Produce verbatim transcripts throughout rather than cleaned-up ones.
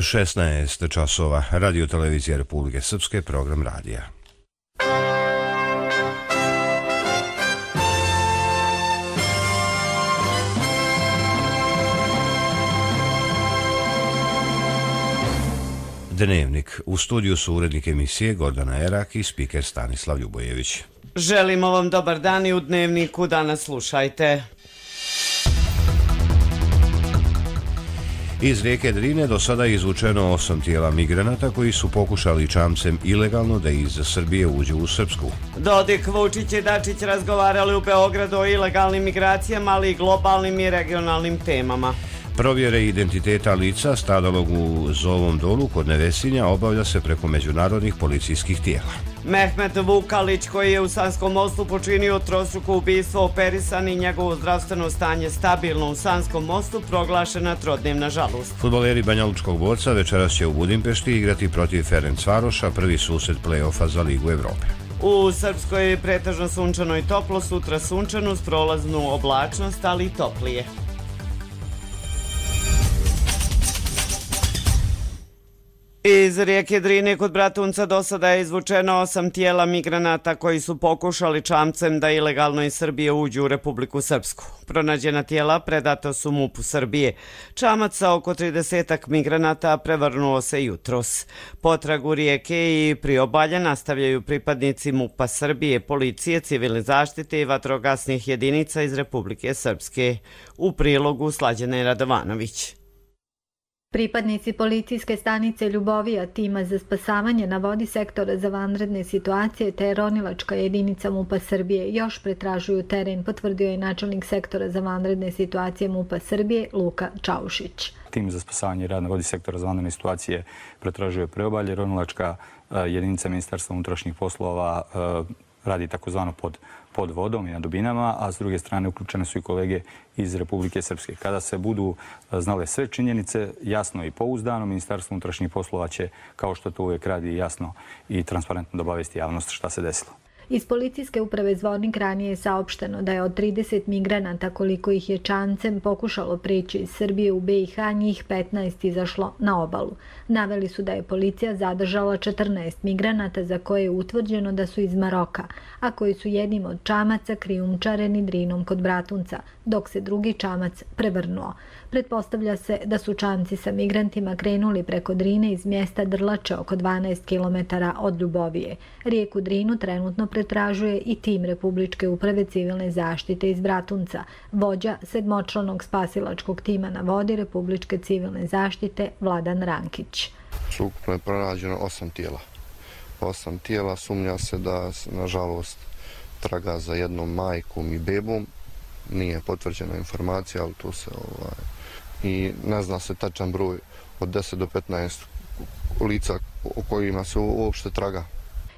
šesnaest časova, Radio televizija Republike Srpske, program radija. Dnevnik. U studiju su urednik emisije Gordana Erak i spiker Stanislav Ljubojević. Želimo vam dobar dan i u Dnevniku danas slušajte. Iz rijeke Drine do sada je izvučeno osam tijela migranata koji su pokušali čamcem ilegalno da iz Srbije uđu u Srpsku. Dodik, Vučić i Dačić razgovarali u Beogradu o ilegalnim migracijama, ali i globalnim i regionalnim temama. Provjere identiteta lica stradalog u Zovom dolu kod Nevesinja obavlja se preko međunarodnih policijskih tijela. Mehmet Vukalić, koji je u Sanskom Mostu počinio trostruko ubistvo, operisan i njegovo zdravstveno stanje stabilno u Sanskom Mostu, proglašena trodnevna žalost. Fudbaleri Banjalučkog Borca večeras će u Budimpešti igrati protiv Ferencvaroša, prvi susret play-offa za Ligu Evrope. U Srpskoj je pretežno sunčano i toplo, sutra sunčano uz prolaznu oblačnost, ali i toplije. Iz rijeke Drine kod Bratunca do sada je izvučeno osam tijela migranata koji su pokušali čamcem da ilegalno iz Srbije uđu u Republiku Srpsku. Pronađena tijela predata su MUP-u Srbije. Čamac sa oko tridesetak migranata prevrnuo se jutros. Potragu rijeke i priobalja nastavljaju pripadnici MUP-a Srbije, policije, civilne zaštite i vatrogasnih jedinica iz Republike Srpske. U prilogu Slađana Radovanović. Pripadnici policijske stanice Ljubovija, tima za spasavanje na vodi sektora za vanredne situacije te ronilačka jedinica MUP-a Srbije još pretražuju teren, potvrdio je načelnik sektora za vanredne situacije MUP-a Srbije Luka Čaušić. Tim za spasavanje i rad na vodi sektora za vanredne situacije pretražuje preobalje, ronilačka jedinica Ministarstva unutrašnjih poslova radi takozvano pod, pod vodom i na dubinama, a s druge strane uključene su i kolege iz Republike Srpske. Kada se budu znale sve činjenice, jasno i pouzdano, Ministarstvo unutrašnjih poslova će, kao što to uvijek radi, jasno i transparentno da obavijesti javnost šta se desilo. Iz policijske uprave Zvornik ranije je saopšteno da je od trideset migranata koliko ih je čamcem pokušalo preći iz Srbije u be i ha, njih petnaest izašlo na obalu. Naveli su da je policija zadržala četrnaest migranata za koje je utvrđeno da su iz Maroka, a koji su jednim od čamaca krijumčareni Drinom kod Bratunca, dok se drugi čamac prevrnuo. Pretpostavlja se da su čamci sa migrantima krenuli preko Drine iz mjesta Drlače oko dvanaest kilometara od Ljubovije. Rijeku Drinu trenutno pretražuje i tim Republičke uprave civilne zaštite iz Bratunca, vođa sedmočlanog spasilačkog tima na vodi Republičke civilne zaštite Vladan Rankić. Ukupno je pronađeno osam tijela. Osam tijela, sumnja se da, nažalost, traga za jednom majkom i bebom. Nije potvrđena informacija, ali tu se ovaj, i ne zna se tačan broj od deset do petnaest lica o kojima se uopšte traga.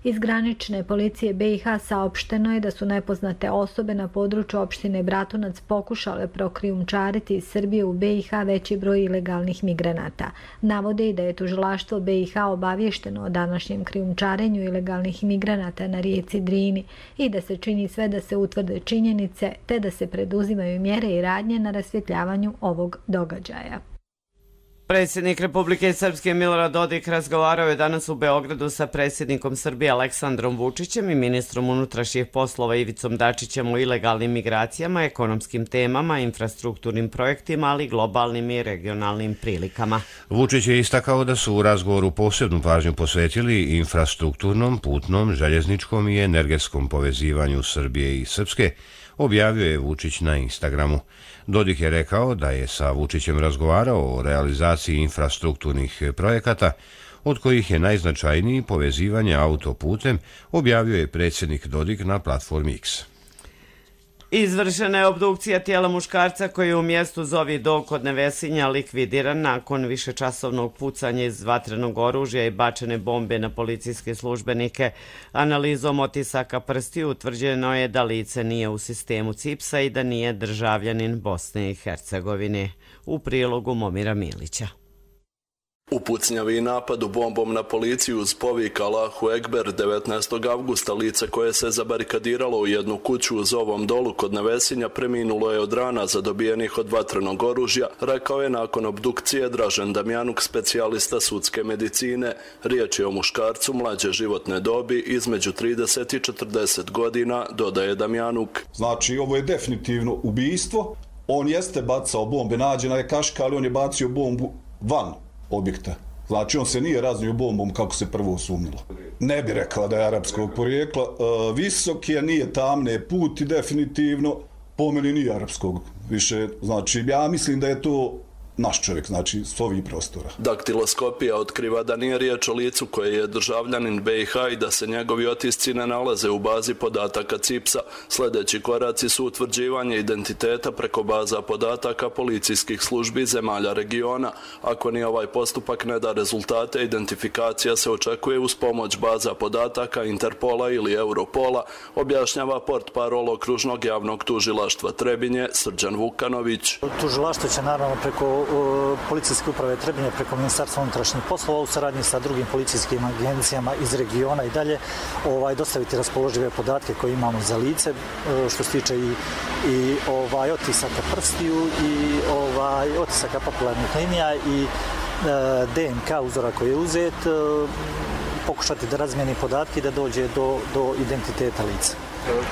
Iz granične policije be i ha saopšteno je da su nepoznate osobe na području opštine Bratunac pokušale prokrijumčariti iz Srbije u be i ha veći broj ilegalnih migranata. Navode i da je tužilaštvo be i ha obavješteno o današnjem krijumčarenju ilegalnih migranata na rijeci Drini i da se čini sve da se utvrde činjenice te da se preduzimaju mjere i radnje na rasvjetljavanju ovog događaja. Predsjednik Republike Srpske Milorad Dodik razgovarao je danas u Beogradu sa predsjednikom Srbije Aleksandrom Vučićem i ministrom unutrašnjih poslova Ivicom Dačićem o ilegalnim migracijama, ekonomskim temama, infrastrukturnim projektima, ali i globalnim i regionalnim prilikama. Vučić je istakao da su u razgovoru posebnu pažnju posvetili infrastrukturnom, putnom, željezničkom i energetskom povezivanju Srbije i Srpske, objavio je Vučić na Instagramu. Dodik je rekao da je sa Vučićem razgovarao o realizaciji infrastrukturnih projekata, od kojih je najznačajniji povezivanje autoputem, objavio je predsjednik Dodik na platformi X. Izvršena je obdukcija tijela muškarca koji je u mjestu Zovi do kod Nevesinja likvidiran nakon višečasovnog pucanja iz vatrenog oružja i bačene bombe na policijske službenike. Analizom otisaka prstiju utvrđeno je da lice nije u sistemu cipsa i da nije državljanin Bosne i Hercegovine. U prilogu Momira Milića. U pucnjavi i napadu bombom na policiju uz povik Allahu Ekber devetnaestog avgusta lice koje se zabarikadiralo u jednu kuću uz ovom dolu kod Nevesinja preminulo je od rana zadobijenih od vatrenog oružja, rekao je nakon obdukcije Dražen Damjanuk, specijalista sudske medicine. Riječ je o muškarcu mlađe životne dobi između trideset i četrdeset godina, dodaje Damjanuk. Znači, ovo je definitivno ubijstvo. On jeste bacao bombe, nađena je kaška, ali on je bacio bombu van objekta. Znači, on se nije raznio bombom kako se prvo sumnjilo. Ne bi rekao da je arapskog porijekla. E, visok je, nije tamne puti, definitivno. Po meni nije arapskog više. Znači, ja mislim da je to naš čovjek, znači s ovih prostora. Daktiloskopija otkriva da nije riječ o licu koje je državljanin B i H i da se njegovi otisci ne nalaze u bazi podataka C I P S-a. Sljedeći koraci su utvrđivanje identiteta preko baza podataka policijskih službi zemalja regiona. Ako ni ovaj postupak ne da rezultate, identifikacija se očekuje uz pomoć baza podataka Interpola ili Europola, objašnjava portparol okružnog javnog tužilaštva Trebinje Srđan Vukanović. Tužilaštvo će naravno preko policijske uprave Trebinje, preko Ministarstva unutrašnjih poslova u saradnji sa drugim policijskim agencijama iz regiona i dalje ovaj, dostaviti raspoložive podatke koje imamo za lice, što se tiče i, i ovaj, otisaka prstiju i ovaj, otisaka papilarnih linija i e, D N K uzora koji je uzet, e, pokušati da razmijeni podatke i da dođe do, do identiteta lica.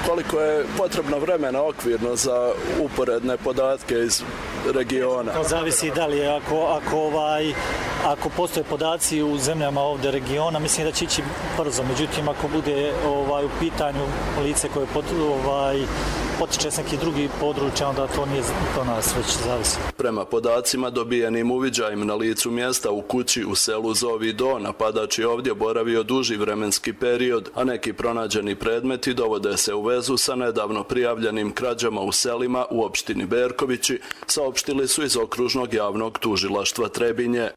Koliko je potrebno vremena okvirno za uporedne podatke iz regiona? Zavisi da li je, ako, ako, ovaj, ako postoje podaci u zemljama ovdje regiona, mislim da će ići brzo. Međutim, ako bude ovaj, u pitanju lice koje pot, ovaj, potiče s neki drugi područja, onda to nije to nas već zavisi. Prema podacima dobijenim uviđajem na licu mjesta u kući u selu Zovi Do, napadač je ovdje boravio duži vremenski period, a neki pronađeni predmeti dovode se u vezu sa nedavno prijavljenim krađama u selima u opštini Berkovići, saopštili su iz okružnog javnog tužilaštva Trebinje.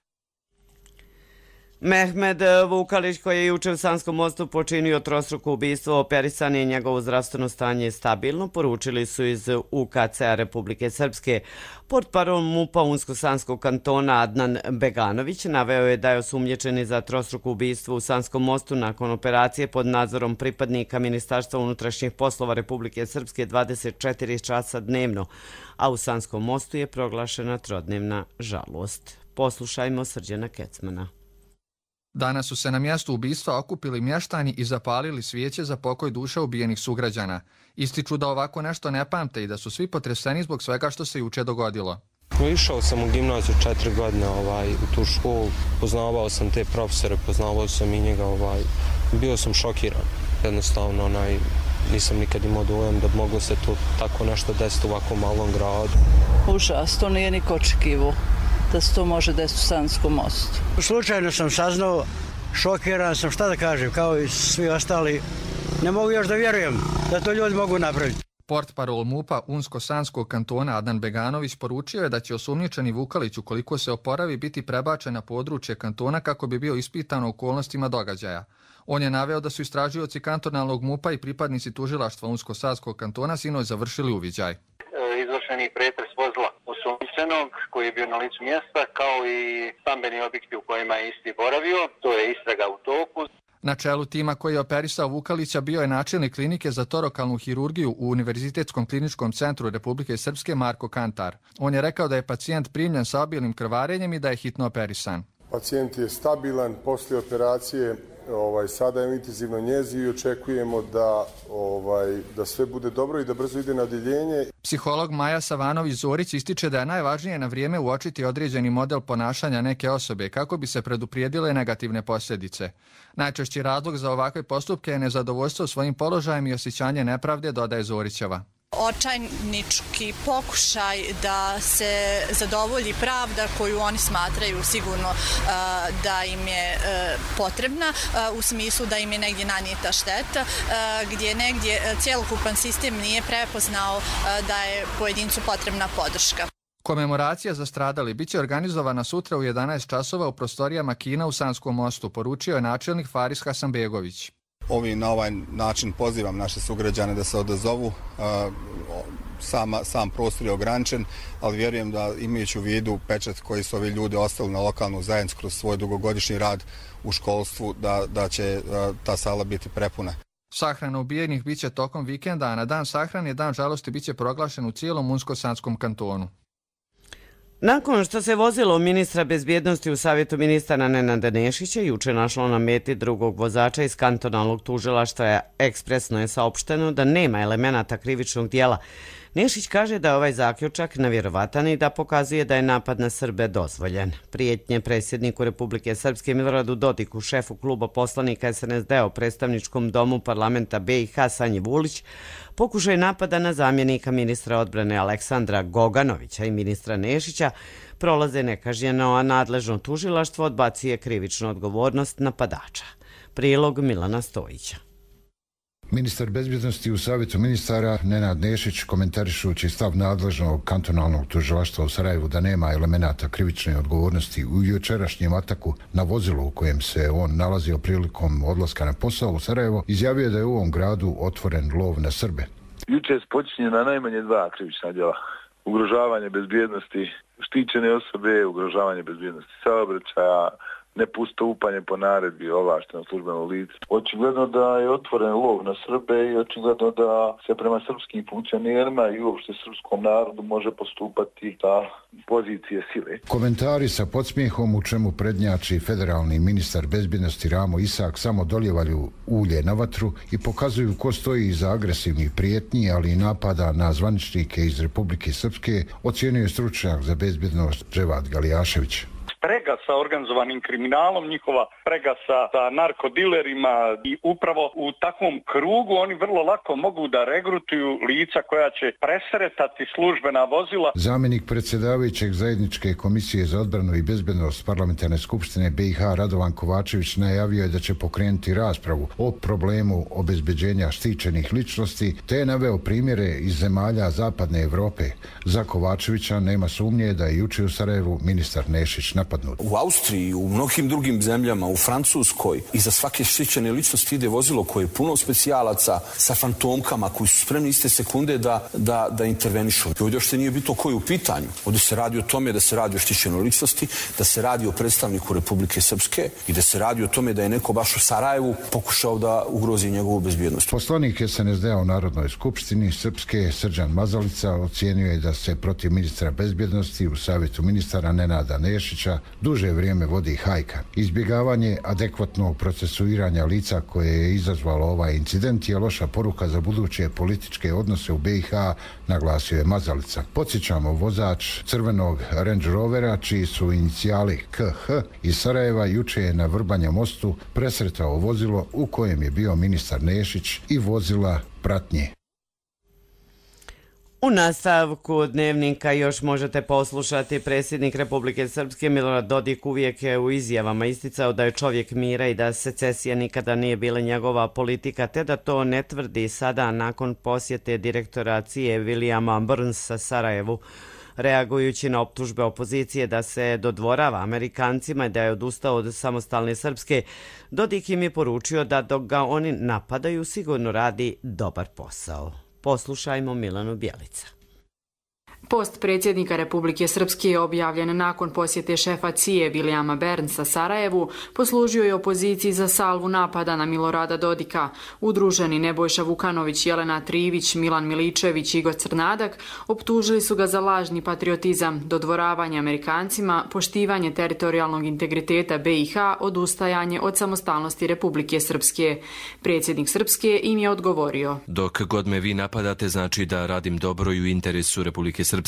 Mehmed Vukalić, koji je juče u Sanskom mostu počinio trostruko ubistvo, operisan je i njegovo zdravstveno stanje je stabilno, poručili su iz U K C-a Republike Srpske. Portparol MUP-a Unsko-Sanskog kantona Adnan Beganović naveo je da je osumnjičeni za trostruko ubistvo u Sanskom mostu nakon operacije pod nadzorom pripadnika Ministarstva unutrašnjih poslova Republike Srpske dvadeset četiri časa dnevno, a u Sanskom mostu je proglašena trodnevna žalost. Poslušajmo Srđana Kecmana. Danas su se na mjestu ubistva okupili mještani i zapalili svijeće za pokoj duša ubijenih sugrađana. Ističu da ovako nešto ne pamte i da su svi potreseni zbog svega što se juče dogodilo. Išao sam u gimnaziju četiri godine ovaj, u tu školu, poznavao sam te profesore, poznavao sam i njega, ovaj, bio sam šokiran. Jednostavno onaj, nisam nikad imao dojam da bi moglo se to tako nešto desiti u ovako malom gradu. Užas, to nije niko očekivao da se to može desiti u Sanskom mostu. Slučajno sam saznao, šokiran sam, šta da kažem, kao i svi ostali. Ne mogu još da vjerujem da to ljudi mogu napraviti. Portparol MUP-a Unsko-Sanskog kantona Adnan Beganović poručio je da će osumnjičeni Vukalić, ukoliko se oporavi, biti prebačen na područje kantona kako bi bio ispitan u okolnostima događaja. On je naveo da su istražioci kantonalnog MUP-a i pripadnici tužilaštva Unsko-Sanskog kantona sinoć završili uviđaj. Izvršeni pretres vozila osumnjičenog koji je bio na licu mjesta, kao i stambeni objekti u kojima je isti boravio. To je istraga u toku. Na čelu tima koji je operisao Vukalića bio je načelnik klinike za torokalnu hirurgiju u Univerzitetskom kliničkom centru Republike Srpske Marko Kantar. On je rekao da je pacijent primljen sa obilnim krvarenjem i da je hitno operisan. Pacijent je stabilan poslije operacije. Ovaj, sada je u intenzivnoj njezi i očekujemo da, ovaj, da sve bude dobro i da brzo ide na odjeljenje. Psiholog Maja Savanović-Zorić ističe da je najvažnije na vrijeme uočiti određeni model ponašanja neke osobe kako bi se preduprijedile negativne posljedice. Najčešći razlog za ovakve postupke je nezadovoljstvo svojim položajem i osjećanje nepravde, dodaje Zorićeva. Očajnički pokušaj da se zadovolji pravda koju oni smatraju sigurno uh, da im je uh, potrebna, uh, u smislu da im je negdje nanijeta šteta, uh, gdje negdje cjelokupan sistem nije prepoznao uh, da je pojedincu potrebna podrška. Komemoracija za stradali biće organizovana sutra u jedanaest časova u prostorijama kina u Sanskom mostu, poručio je načelnik Faris Hasanbegović. ovi na ovaj način pozivam naše sugrađane da se odazovu. Sama, sam prostor je ograničen, ali vjerujem da imajući u vidu pečat koji su ovi ljudi ostali na lokalnu zajednicu kroz svoj dugogodišnji rad u školstvu, da, da će ta sala biti prepuna. Sahrana ubijenih biće tokom vikenda, a na dan sahrane dan žalosti biće proglašen u cijelom Unsko-Sanskom kantonu. Nakon što se vozilo ministra bezbjednosti u savjetu ministara Nenada Nešića juče našlo na meti drugog vozača iz kantonalnog tužilaštva, ekspresno je saopšteno da nema elemenata krivičnog dijela. Nešić kaže da je ovaj zaključak nevjerovatan i da pokazuje da je napad na Srbe dozvoljen. Prijetnje predsjedniku Republike Srpske Miloradu Dodiku, šefu kluba poslanika es en es de u predstavničkom domu parlamenta be i ha Sanji Vulić, pokušaj napada na zamjenika ministra odbrane Aleksandra Goganovića i ministra Nešića prolaze nekažnjeno, a nadležno tužilaštvo odbacuje krivičnu odgovornost napadača. Prilog Milana Stojića. Ministar bezbjednosti u savjetu ministara Nenad Nešić, komentarišući stav nadležnog kantonalnog tužilaštva u Sarajevu da nema elemenata krivične odgovornosti u jučerašnjem ataku na vozilo u kojem se on nalazio prilikom odlaska na posao u Sarajevo, izjavio je da je u ovom gradu otvoren lov na Srbe. Juče je počinjena najmanje dva krivična djela. Ugrožavanje bezbjednosti štićene osobe, ugrožavanje bezbjednosti saobraćaja, nepostupanje po naredbi ovlaštenog službenog lica. Očigledno da je otvoren lov na Srbe i očigledno da se prema srpskim funkcionerima i uopšte srpskom narodu može postupati sa pozicije sile. Komentari sa podsmijehom u čemu prednjači federalni ministar bezbjednosti Ramo Isak samo doljevaju ulje na vatru i pokazuju ko stoji iza agresivnih prijetnji, ali i napada na zvaničnike iz Republike Srpske, ocjenjuje stručnjak za bezbjednost Dževad Galijašević. Sprega sa organizovanim kriminalom, njihova sprega sa, sa narkodilerima i upravo u takvom krugu oni vrlo lako mogu da regrutuju lica koja će presretati službena vozila. Zamjenik predsjedavajućeg zajedničke komisije za odbranu i bezbednost parlamentarne skupštine be i ha Radovan Kovačević najavio je da će pokrenuti raspravu o problemu obezbeđenja štićenih ličnosti, te je naveo primjere iz zemalja zapadne Evrope. Za Kovačevića nema sumnje da je juče u Sarajevu ministar Nešić napadnut. U Austriji, u mnogim drugim zemljama, u Francuskoj, iza svake štićene ličnosti ide vozilo koje je puno specijalaca sa fantomkama koji su spremni iste sekunde da, da, da intervenišu. Ovdje još nije bitno koji je u pitanju. Ovdje se radi o tome da se radi o štićenoj ličnosti, da se radi o predstavniku Republike Srpske i da se radi o tome da je neko baš u Sarajevu pokušao da ugrozi njegovu bezbjednost. Poslanik es en es de u Narodnoj skupštini Srpske Srđan Mazalica ocijenio je da se protiv ministra bezbjednosti u savjetu ministara Nenada Nešića duže vrijeme vodi hajka. Izbjegavanje adekvatnog procesuiranja lica koje je izazvalo ovaj incident je loša poruka za buduće političke odnose u be i ha, naglasio je Mazalica. Podsjećamo, vozač crvenog Range Rovera, čiji su inicijali ke ha iz Sarajeva, juče je na Vrbanja mostu presretao vozilo u kojem je bio ministar Nešić i vozila pratnje. U nastavku dnevnika još možete poslušati predsjednik Republike Srpske Milorad Dodik uvijek je u izjavama isticao da je čovjek mira i da secesija nikada nije bila njegova politika, te da to ne tvrdi sada nakon posjete direktora C I A Williama Burnsa Sarajevu. Reagujući na optužbe opozicije da se dodvorava Amerikancima i da je odustao od samostalne Srpske, Dodik im je poručio da dok ga oni napadaju sigurno radi dobar posao. Poslušajmo Milanu Bjelica. Post predsjednika Republike Srpske je objavljen nakon posjete šefa C I A Williama Burnsa Sarajevu, poslužio je opoziciji za salvu napada na Milorada Dodika. Udruženi Nebojša Vukanović, Jelena Trivić, Milan Miličević i Igor Crnadak optužili su ga za lažni patriotizam, dodvoravanje Amerikancima, poštivanje teritorijalnog integriteta be i ha, odustajanje od samostalnosti Republike Srpske. Predsjednik Srpske im je odgovorio: Dok god me vi napadate, znači da radim dobro i u interesu Republike Srpske.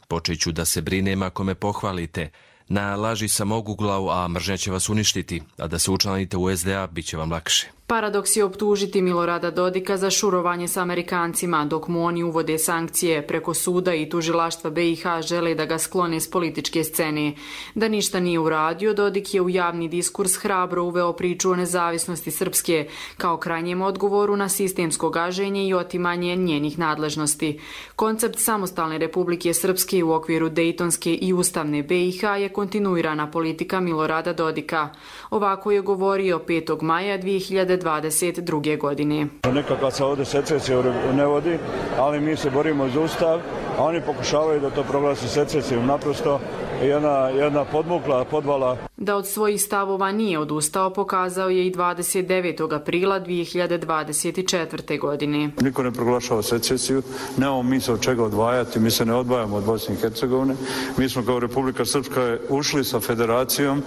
Počet ću da se brinem ako me pohvalite. Na laži sam oguglav, a mržnja će vas uništiti, a da se učlanite u es de a bit će vam lakše. Paradoks je optužiti Milorada Dodika za šurovanje s Amerikancima, dok mu oni uvode sankcije preko suda i tužilaštva be i ha žele da ga sklone s političke scene. Da ništa nije uradio, Dodik je u javni diskurs hrabro uveo priču o nezavisnosti Srpske kao krajnjem odgovoru na sistemsko gaženje i otimanje njenih nadležnosti. Koncept samostalne Republike Srpske u okviru Dejtonske i ustavne be i ha je kontinuirana politika Milorada Dodika. Ovako je govorio petog maja dvije hiljade hiljade dvadeset druge. godine. Nekakva se ovdje secesija ne vodi, ali mi se borimo za ustav, a oni pokušavaju da to proglasi secesijom. Naprosto jedna, jedna podmukla podvala. Da od svojih stavova nije odustao pokazao je i dvadeset devetog aprila dvije hiljade dvadeset četvrte. godine. Niko ne proglašava secesiju, nemamo mi se od čega odvajati, mi se ne odvajamo od Bosne i Hercegovine. Mi smo kao Republika Srpska ušli sa federacijom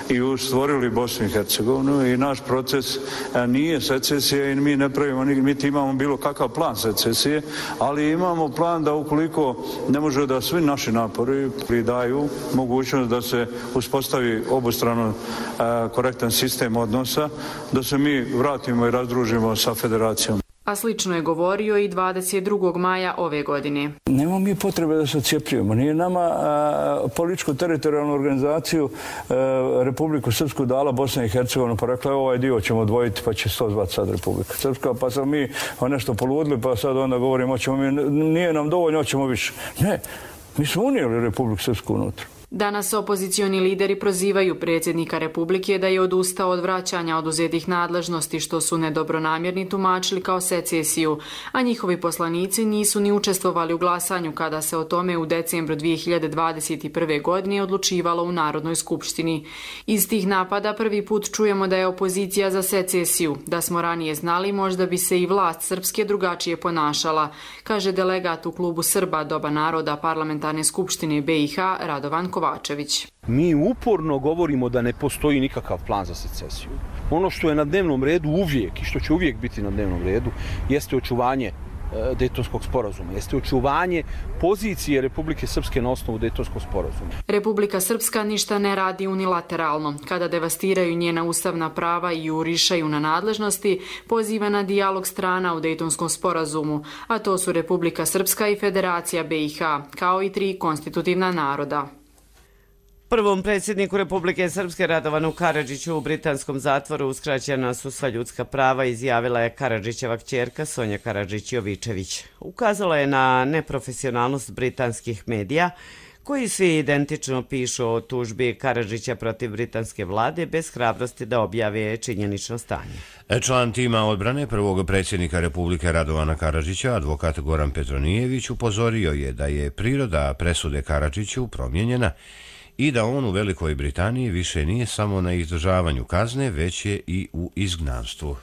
i stvorili Bosnu i Hercegovinu i naš proces nije secesija i mi ne pravimo, mi imamo bilo kakav plan secesije, ali imamo plan da ukoliko ne može da svi naši napori pridaju mogućnost da se uspostavi obostrano korektan sistem odnosa, da se mi vratimo i razdružimo sa federacijom. A slično je govorio i dvadeset drugog maja ove godine. Nema mi potrebe da se odcijepljujemo. Nije nama političko-teritorijalnu organizaciju a, Republiku Srpsku dala Bosna i Hercegovina, pa rekla ovaj dio ćemo odvojiti pa će se to zvati sad Republika Srpska, pa sam mi nešto poludili pa sad onda govorimo hoćemo mi, nije nam dovoljno, hoćemo više. Ne, mi smo unijeli Republiku Srpsku unutra. Danas opozicioni lideri prozivaju predsjednika Republike da je odustao od vraćanja oduzetih nadležnosti što su nedobronamjerni tumačili kao secesiju, a njihovi poslanici nisu ni učestvovali u glasanju kada se o tome u decembru dvije hiljade dvadeset prve. godine odlučivalo u Narodnoj skupštini. Iz tih napada prvi put čujemo da je opozicija za secesiju. Da smo ranije znali, možda bi se i vlast srpske drugačije ponašala, kaže delegat u klubu Srba Doba naroda Parlamentarne skupštine B i H Radovan Kovačević. Mi uporno govorimo da ne postoji nikakav plan za secesiju. Ono što je na dnevnom redu uvijek i što će uvijek biti na dnevnom redu jeste očuvanje Dejtonskog sporazuma, jeste očuvanje pozicije Republike Srpske na osnovu Dejtonskog sporazuma. Republika Srpska ništa ne radi unilateralno. Kada devastiraju njena ustavna prava i jurišaju na nadležnosti, poziva na dijalog strana u Dejtonskom sporazumu, a to su Republika Srpska i Federacija B i H, kao i tri konstitutivna naroda. Prvom predsjedniku Republike Srpske Radovanu Karadžiću u britanskom zatvoru uskraćena su sva ljudska prava, izjavila je Karadžićeva kćerka Sonja Karadžić-Jovičević. Ukazala je na neprofesionalnost britanskih medija, koji svi identično pišu o tužbi Karadžića protiv britanske vlade bez hrabrosti da objave činjenično stanje. Član tima odbrane prvog predsjednika Republike Radovana Karadžića, advokat Goran Petronijević, upozorio je da je priroda presude Karadžiću promijenjena i da on u Velikoj Britaniji više nije samo na izdržavanju kazne, već je i u izgnanstvu.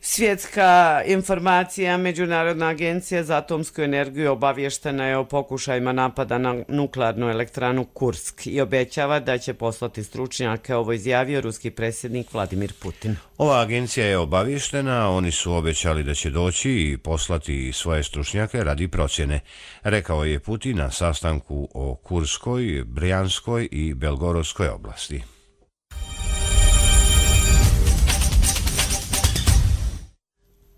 Svjetska informacija, Međunarodna agencija za atomsku energiju, obavještena je o pokušajima napada na nuklearnu elektranu Kursk i obećava da će poslati stručnjake, ovo izjavio ruski predsjednik Vladimir Putin. Ova agencija je obavještena, oni su obećali da će doći i poslati svoje stručnjake radi procjene, rekao je Putin na sastanku o Kurskoj, Brijanskoj i Belgorodskoj oblasti.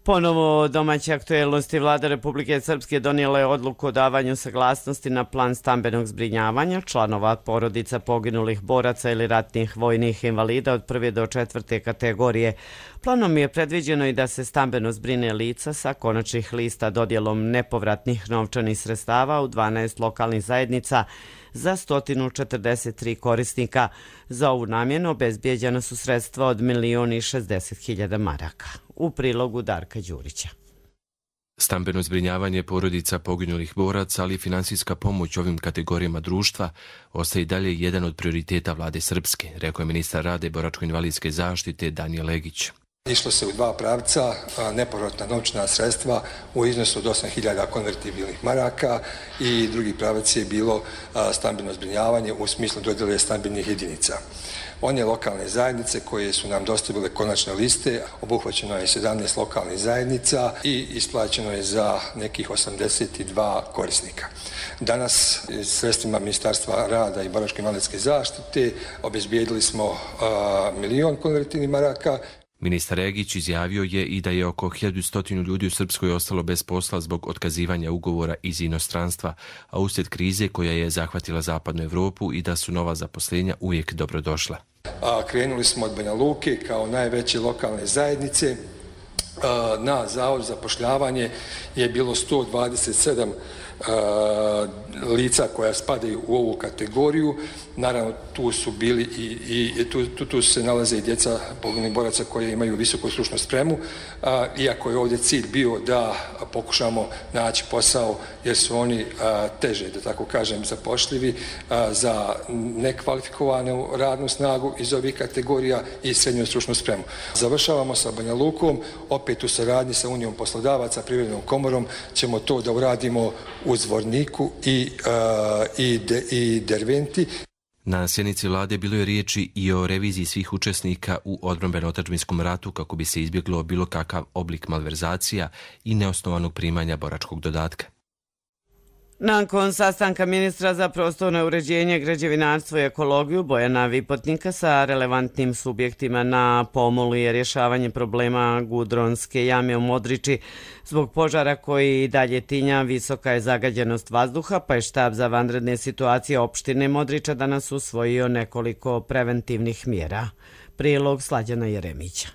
Ponovo domaće aktuelnosti. Vlada Republike Srpske donijela je odluku o davanju saglasnosti na plan stambenog zbrinjavanja članova porodica poginulih boraca ili ratnih vojnih invalida od prve do četvrte kategorije. Planom je predviđeno i da se stambeno zbrine lica sa konačnih lista dodjelom nepovratnih novčanih sredstava u dvanaest lokalnih zajednica za sto četrdeset tri korisnika. Za ovu namjenu obezbijeđena su sredstva od milion i šezdeset hiljada maraka. U prilogu Darka Đurića. Stambeno zbrinjavanje porodica poginulih boraca, ali i finansijska pomoć ovim kategorijama društva ostaje i dalje jedan od prioriteta vlade Srpske, rekao je ministar rada i boračko-invalidske zaštite Danijel Legić. Išlo se u dva pravca, nepovratna novčana sredstva u iznosu od osam hiljada konvertibilnih maraka i drugi pravac je bilo stambeno zbrinjavanje u smislu dodjele stambenih jedinica. One lokalne zajednice koje su nam dostavile konačne liste, obuhvaćeno je sedamnaest lokalnih zajednica i isplaćeno je za nekih osamdeset dva korisnika. Danas sredstvima Ministarstva rada i boračko-invalidske zaštite obezbijedili smo a, milion konvertibilnih maraka. Ministar Regić izjavio je i da je oko hiljadu sto ljudi u Srpskoj ostalo bez posla zbog otkazivanja ugovora iz inostranstva, a uslijed krize koja je zahvatila zapadnu Evropu i da su nova zaposlenja uvijek dobrodošla. A, krenuli smo od Banja Luke kao najveće lokalne zajednice na Zavod za zapošljavanje je bilo sto dvadeset sedam lica koja spadaju u ovu kategoriju. Naravno, tu su bili i, i tu, tu, tu se nalaze i djeca poginulih boraca koji imaju visoku stručnu spremu, a, iako je ovdje cilj bio da pokušamo naći posao jer su oni a, teže, da tako kažem, zapošljivi a, za nekvalifikovanu radnu snagu iz ovih kategorija i srednju stručnu spremu. Završavamo sa Banja Lukom, opet u saradnji sa Unijom poslodavaca, Privrednom komorom ćemo to da uradimo u Zvorniku i, a, i, de, i Derventi. Na sjednici vlade bilo je riječi i o reviziji svih učesnika u odbrambeno-otadžbinskom ratu kako bi se izbjeglo bilo kakav oblik malverzacija i neosnovanog primanja boračkog dodatka. Nakon sastanka ministra za prostorno uređenje, građevinarstvo i ekologiju Bojana Vipotnika sa relevantnim subjektima na pomolu je rješavanje problema Gudronske jame u Modriči. Zbog požara koji dalje tinja, visoka je zagađenost vazduha, pa je štab za vanredne situacije opštine Modriča danas usvojio nekoliko preventivnih mjera. Prilog Slađana Jeremića.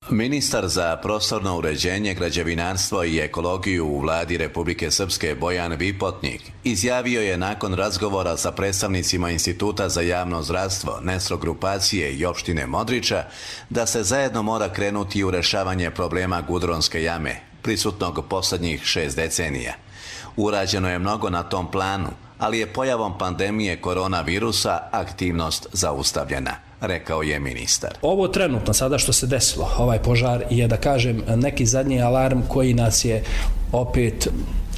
Ministar za prostorno uređenje, građevinarstvo i ekologiju u vladi Republike Srpske Bojan Vipotnik izjavio je nakon razgovora sa predstavnicima Instituta za javno zdravstvo, Nesro grupacije i opštine Modriča da se zajedno mora krenuti u rješavanje problema Gudronske jame, prisutnog posljednjih šest decenija. Urađeno je mnogo na tom planu, ali je pojavom pandemije koronavirusa aktivnost zaustavljena, rekao je ministar. Ovo trenutno sada što se desilo, ovaj požar, je da kažem neki zadnji alarm koji nas je opet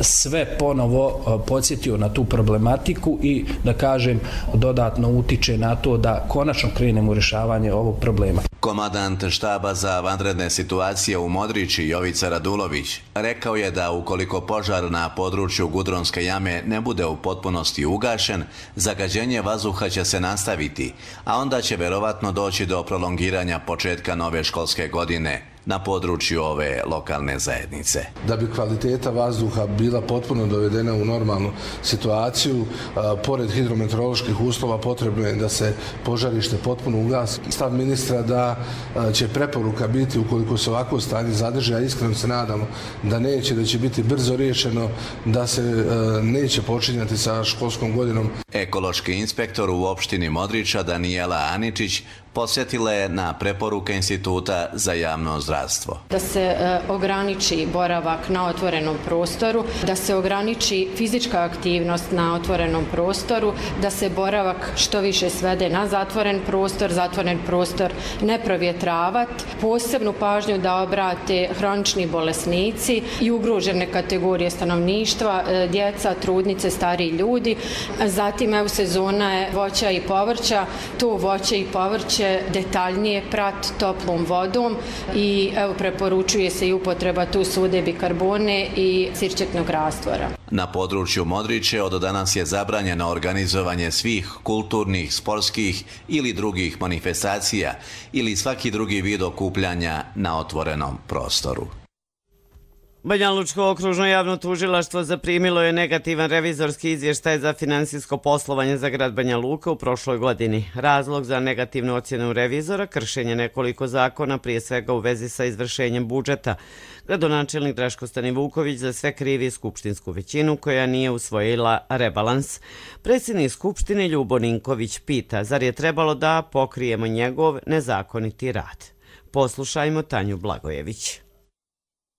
sve ponovo podsjetio na tu problematiku i da kažem dodatno utiče na to da konačno krenemo u rješavanje ovog problema. Komandant štaba za vanredne situacije u Modriči Jovica Radulović rekao je da ukoliko požar na području Gudronske jame ne bude u potpunosti ugašen, zagađenje vazduha će se nastaviti, a onda će verovatno doći do prolongiranja početka nove školske godine na području ove lokalne zajednice. Da bi kvaliteta vazduha bila potpuno dovedena u normalnu situaciju, a, pored hidrometeoroloških uslova potrebno je da se požarište potpuno ugasi. Stav ministra da a, će preporuka biti, ukoliko se ovako stanje zadrži, a iskreno se nadamo da neće, da će biti brzo riješeno, da se a, neće počinjati sa školskom godinom. Ekološki inspektor u opštini Modriča Danijela Aničić posjetila je na preporuke Instituta za javno zdravstvo. Da se e, ograniči boravak na otvorenom prostoru, da se ograniči fizička aktivnost na otvorenom prostoru, da se boravak što više svede na zatvoren prostor, zatvoren prostor ne provjetravat, posebnu pažnju da obrate hronični bolesnici i ugrožene kategorije stanovništva, e, djeca, trudnice, stariji ljudi. Zatim evo sezona je voća i povrća, to voće i povrće detaljnije prat toplom vodom i evo preporučuje se i upotreba tu sude bikarbone i sirćetnog rastvora. Na području Modriče od danas je zabranjeno organizovanje svih kulturnih, sportskih ili drugih manifestacija ili svaki drugi vid okupljanja na otvorenom prostoru. Banjalučko okružno javno tužilaštvo zaprimilo je negativan revizorski izvještaj za finansijsko poslovanje za grad Banja Luka u prošloj godini. Razlog za negativnu ocjenu revizora, kršenje nekoliko zakona, prije svega u vezi sa izvršenjem budžeta. Gradonačelnik Draško Stanivuković za sve krivi skupštinsku većinu koja nije usvojila rebalans. Predsjednik Skupštine Ljubo Ninković pita, zar je trebalo da pokrijemo njegov nezakoniti rad? Poslušajmo Tanju Blagojević.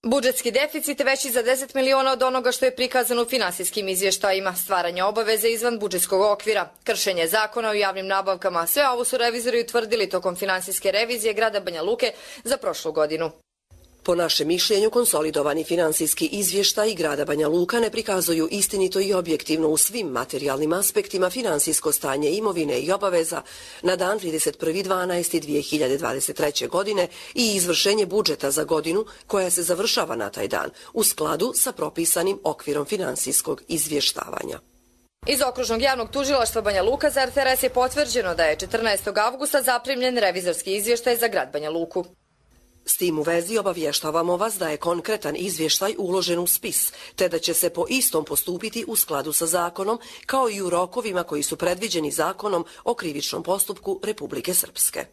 Budžetski deficit je veći za deset miliona od onoga što je prikazano u finansijskim izvještajima, stvaranje obaveze izvan budžetskog okvira, kršenje zakona o javnim nabavkama. Sve ovo su revizori utvrdili tokom finansijske revizije grada Banja Luke za prošlu godinu. Po našem mišljenju, konsolidovani finansijski izvještaji grada Banja Luka ne prikazuju istinito i objektivno u svim materijalnim aspektima finansijsko stanje imovine i obaveza na dan trideset prvi decembar dvije hiljade dvadeset treće. godine i izvršenje budžeta za godinu koja se završava na taj dan u skladu sa propisanim okvirom finansijskog izvještavanja. Iz okružnog javnog tužilaštva Banja Luka za R T R S je potvrđeno da je četrnaestog avgusta zaprimljen revizorski izvještaj za grad Banja Luku. S tim u vezi obavještavamo vas da je konkretan izvještaj uložen u spis, te da će se po istom postupiti u skladu sa zakonom, kao i u rokovima koji su predviđeni zakonom o krivičnom postupku Republike Srpske.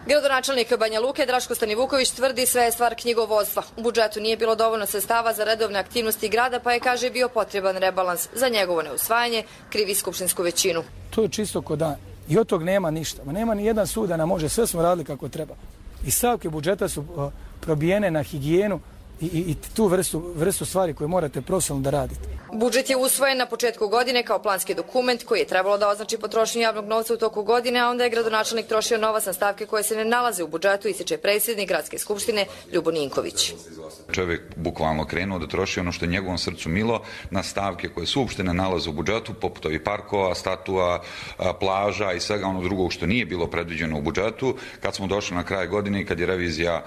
Gradonačelnik Banja Luke Draško Stanivuković tvrdi sve je stvar knjigovodstva. U budžetu nije bilo dovoljno sredstava za redovne aktivnosti grada, pa je, kaže, bio potreban rebalans. Za njegovo neusvajanje krivi skupštinsku većinu. To je čisto ko dan. I od tog nema ništa. Ma nema ni jedan sud da nam može, sve smo radili kako treba. I stavke budžeta su uh, probijene na higijenu i, i, i tu vrstu, vrstu stvari koje morate profesionalno da radite. Budžet je usvojen na početku godine kao planski dokument koji je trebalo da označi potrošnju javnog novca u toku godine, a onda je gradonačelnik trošio novac na stavke koje se ne nalaze u budžetu, ističe predsjednik Gradske skupštine Ljubo Ninković. Čovjek bukvalno krenuo da troši ono što je njegovom srcu milo na stavke koje su uopšte ne nalaze u budžetu, poput ovih parkova, statua, plaža i svega ono drugog što nije bilo predviđeno u budžetu. Kad smo došli na kraj godine i kad je revizija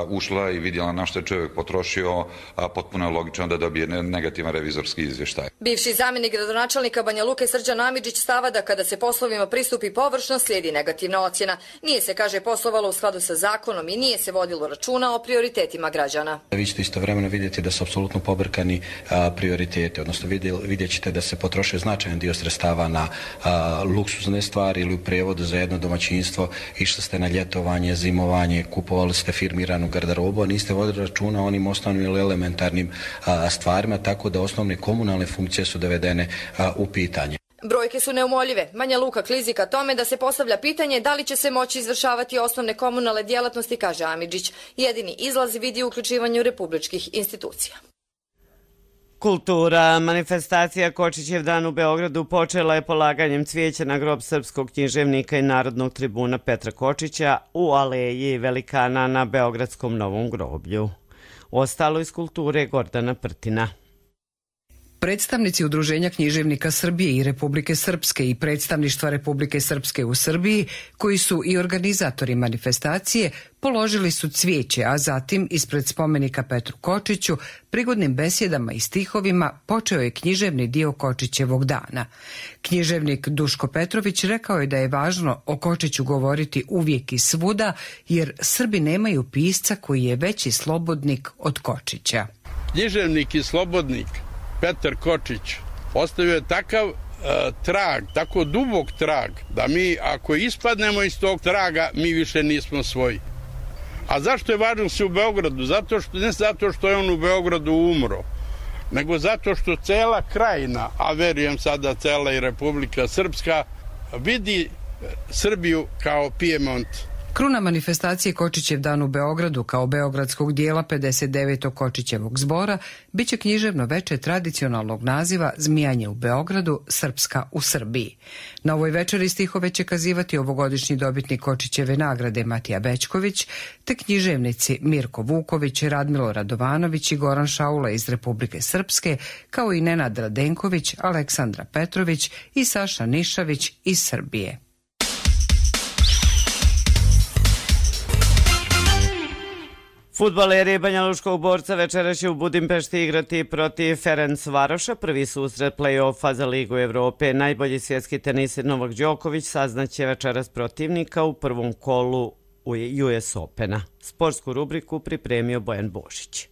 ušla i vidjela na što je čovjek potrošio, potpuno je logično da dobije negativan revizorski izvještaj. Bivši zamjenik gradonačelnika Banja Luke Srđan Amidžić stava da kada se poslovima pristupi površno slijedi negativna ocjena. Nije se, kaže, poslovalo u skladu sa zakonom i nije se vodilo računa o prioritetima građana. Vi ćete istovremeno vidjeti da su apsolutno pobrkani a, prioritete, odnosno vidjet ćete da se potroše značajan dio sredstava na a, luksuzne stvari ili u prijevodu za jedno domaćinstvo, išli ste na ljetovanje, zimovanje, kupovali ste firmiranu garderobu, a niste vodili računa o onim osnovnim ili elementarnim a, stvarima, tako da osnovne komunalne funkcije su dovedene a, u pitanje. Brojke su neumoljive. Banja Luka klizi ka tome da se postavlja pitanje da li će se moći izvršavati osnovne komunalne djelatnosti, kaže Amidžić. Jedini izlaz vidi u uključivanju republičkih institucija. Kultura. Manifestacija Kočićev dan u Beogradu počela je polaganjem cvijeća na grob srpskog književnika i narodnog tribuna Petra Kočića u aleji velikana na Beogradskom Novom groblju. Ostalo iz kulture Gordana Prtina. Predstavnici Udruženja književnika Srbije i Republike Srpske i predstavništva Republike Srpske u Srbiji, koji su i organizatori manifestacije, položili su cvijeće, a zatim ispred spomenika Petru Kočiću, prigodnim besjedama i stihovima počeo je književni dio Kočićevog dana. Književnik Duško Petrović rekao je da je važno o Kočiću govoriti uvijek i svuda, jer Srbi nemaju pisca koji je veći slobodnik od Kočića. Književnik i slobodnik Petar Kočić ostavio je takav uh, trag, tako dubok trag, da mi ako ispadnemo iz tog traga, mi više nismo svoji. A zašto je važno se u Beogradu? Zato što, ne zato što je on u Beogradu umro, nego zato što cela krajina, a verujem sada cela i Republika Srpska, vidi Srbiju kao Pijemont. Kruna manifestacije Kočićev dan u Beogradu kao beogradskog dijela pedeset devetog Kočićevog zbora biće književno veče tradicionalnog naziva Zmijanje u Beogradu, Srpska u Srbiji. Na ovoj večeri stihove će kazivati ovogodišnji dobitnik Kočićeve nagrade Matija Bećković, te književnici Mirko Vuković, Radmilo Radovanović i Goran Šaula iz Republike Srpske, kao i Nenad Radenković, Aleksandra Petrović i Saša Nišavić iz Srbije. Fudbaleri Banjalučkog Borca večera će u Budimpešti igrati protiv Ferencvaroša. Prvi susret play-offa za Ligu Evrope. Najbolji svjetski tenisir Novak Đoković saznaće večeras protivnika u prvom kolu U S Opena. Sportsku rubriku pripremio Bojan Božić.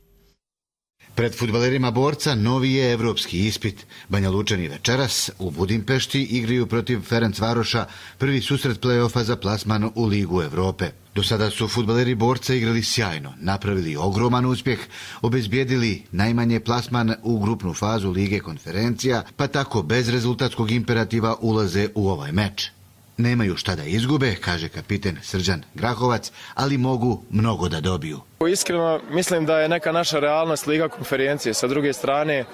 Pred fudbalerima Borca novi je evropski ispit. Banjalučani večeras u Budimpešti igraju protiv Ferencvaroša, prvi susret play-offa za plasman u Ligu Evrope. Do sada su fudbaleri Borca igrali sjajno, napravili ogroman uspjeh, obezbijedili najmanje plasman u grupnu fazu Lige konferencija, pa tako bez rezultatskog imperativa ulaze u ovaj meč. Nemaju šta da izgube, kaže kapiten Srđan Grahovac, ali mogu mnogo da dobiju. Iskreno mislim da je neka naša realnost Liga konferencije. Sa druge strane,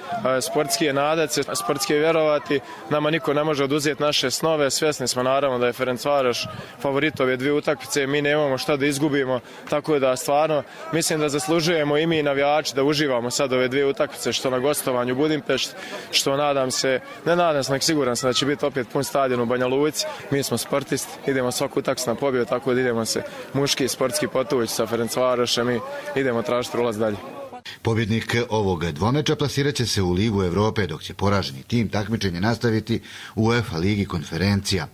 sportski je nadati se, sportski je vjerovati. Nama niko ne može oduzeti naše snove. Svjesni smo naravno da je Ferencvaroš favorit ove dvije utakmice. Mi nemamo šta da izgubimo. Tako da stvarno mislim da zaslužujemo i mi i navijači da uživamo sad ove dvije utakmice, što na gostovanju u Budimpešti, što nadam se, ne nadam se, nek siguran sam da će biti opet pun stadion u Banja Luci. Mi smo sportisti, idemo svaku utakmicu na pobjedu, tako da idemo se muški sportski potući sa Ferencvarošem. Idemo tražiti ulaz dalje. Pobjednik ovog dvomeča plasirat će se u Ligu Evrope, dok će poraženi tim takmičenje nastaviti u UEFA Ligi konferencija.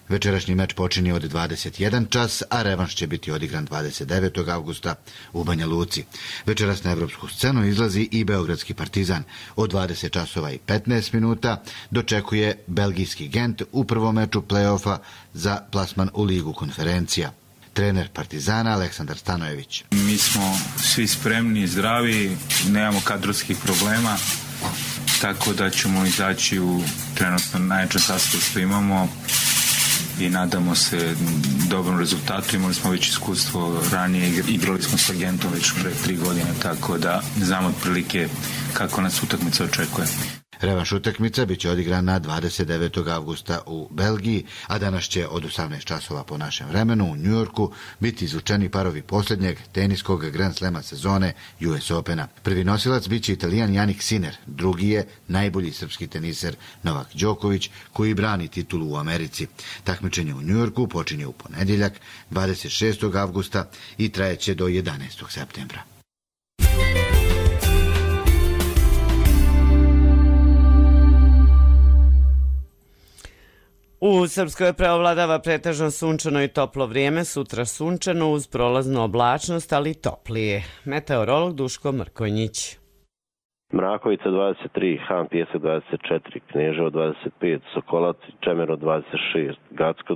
Večerašnji meč počinje od dvadeset jedan čas, a revanš će biti odigran dvadeset devetog avgusta u Banja Luci. Večeras na evropsku scenu izlazi i beogradski Partizan. Od dvadeset časova i petnaest minuta dočekuje belgijski Gent u prvom meču play-offa za plasman u Ligu konferencija. trener Partizana Aleksandar Stanojević. Mi smo svi spremni, zdravi, nemamo kadrovskih problema, tako da ćemo izaći u trenutno najjačem sastavu što imamo i nadamo se dobrom rezultatu. Imali smo već iskustvo ranije, igrali smo s agentom već pre tri godine, tako da znamo otprilike kako nas utakmica očekuje. Revanš utakmica bit će odigrana dvadeset devetog avgusta u Belgiji, a danas će od osamnaest časova po našem vremenu u Njujorku biti izvučeni parovi posljednjeg teniskog Grand Slema sezone U S Opena. Prvi nosilac bit će Italijan Jannik Sinner, drugi je najbolji srpski teniser Novak Đoković, koji brani titulu u Americi. Takmičenje u Njujorku počinje u ponedjeljak dvadeset šestog avgusta i trajeće do jedanaestog septembra. U Srpskoj preovladava pretežno sunčano i toplo vrijeme, sutra sunčano uz prolaznu oblačnost, ali toplije. Meteorolog Duško Mrkonjić. Mrakovica dvadeset tri, Han Pijesak dvadeset četiri, Kneževo dvadeset pet, Sokolac i Čemero dvadeset šest, Gacko,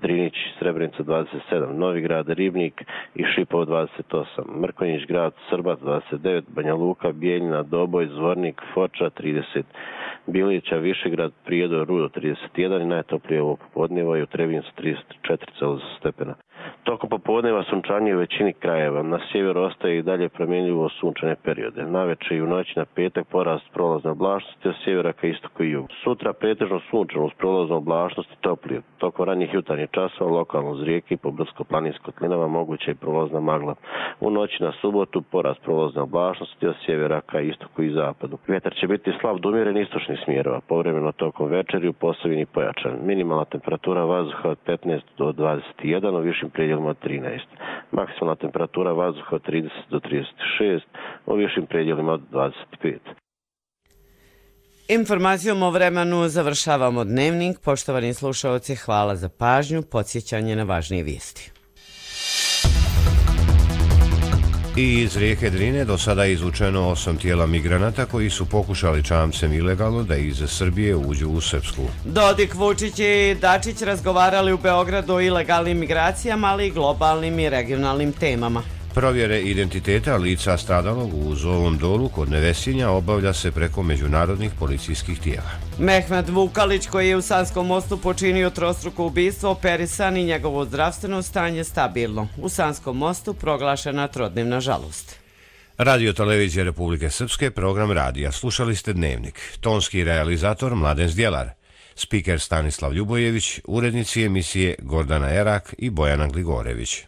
Drinić, Srebrenica dvadeset sedam, Novigrad, Ribnik i Šipovo dvadeset osam, Mrkonjić grad, Srbac dvadeset devet, Banja Luka, Bijeljina, Doboj, Zvornik, Foča trideset, Bilića, Višegrad, Prijedor, Rudo trideset jedan i najtoplije ovo popodneva i u Trebincu trideset četiri stepena. Tokom popodneva sunčanje u većini krajeva. Na sjeveru ostaje i dalje promjenljivo sunčane periode. Naveče i u noći na petak porast prolazne oblačnosti od sjevera ka istoku i jugu. Sutra pretežno sunčano uz prolaznu oblačnost i toplije. Tokom ranjih jutarnjih časova lokalno uz rijeke i po brdsko-planinskim kotlinama moguća i prolazna magla. U noći na subotu porast prolazne oblačnosti od sjevera ka istoku i zapadu. Vjetar će biti slab do umjeren istočnih smjerova. Povremeno tokom večeri u Posavini pojačan. Minimalna temperatura vazduha od petnaest do dvadeset jedan, u višim predjelima od trinaest. Maksimalna temperatura vazduha od trideset do trideset šest, u višim predjelima od dvadeset pet. Informacijom o vremenu završavamo dnevnik. Poštovani slušaoci, hvala za pažnju, podsjećanje na važnije vijesti. I iz rijeke Drine do sada je izvučeno osam tijela migranata koji su pokušali čamcem ilegalno da iz Srbije uđu u Srpsku. Dodik, Vučić i Dačić razgovarali u Beogradu o ilegalnim migracijama, ali i globalnim i regionalnim temama. Provjere identiteta lica stradalog u Zovom dolu kod Nevesinja obavlja se preko međunarodnih policijskih tijela. Mehmet Vukalić, koji je u Sanskom mostu počinio trostruko ubistvo, operisan i njegovo zdravstveno stanje stabilno. U Sanskom mostu proglašena trodnevna žalost. Radio Televizija Republike Srpske, program radija. Slušali ste Dnevnik. Tonski realizator Mladen Zdjelar. Spiker Stanislav Ljubojević, urednici emisije Gordana Erak i Bojana Gligorević.